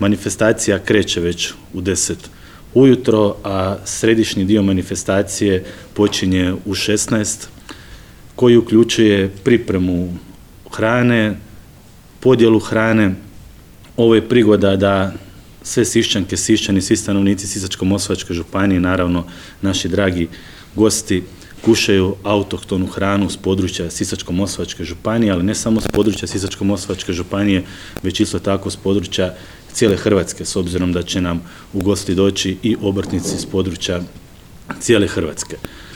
Manifestacija kreće već u 10 ujutro, a središnji dio manifestacije počinje u 16, koji uključuje pripremu hrane, podjelu hrane. Ovo je prigoda da sve Siščanke, Siščani, svi stanovnici Sisačko-moslavačke županije, naravno naši dragi gosti, kušaju autohtonu hranu s područja Sisačko-moslavačke županije, ali ne samo s područja Sisačko-moslavačke županije, već isto tako s područja cijele Hrvatske, s obzirom da će nam u gosti doći i obrtnici s područja cijele Hrvatske.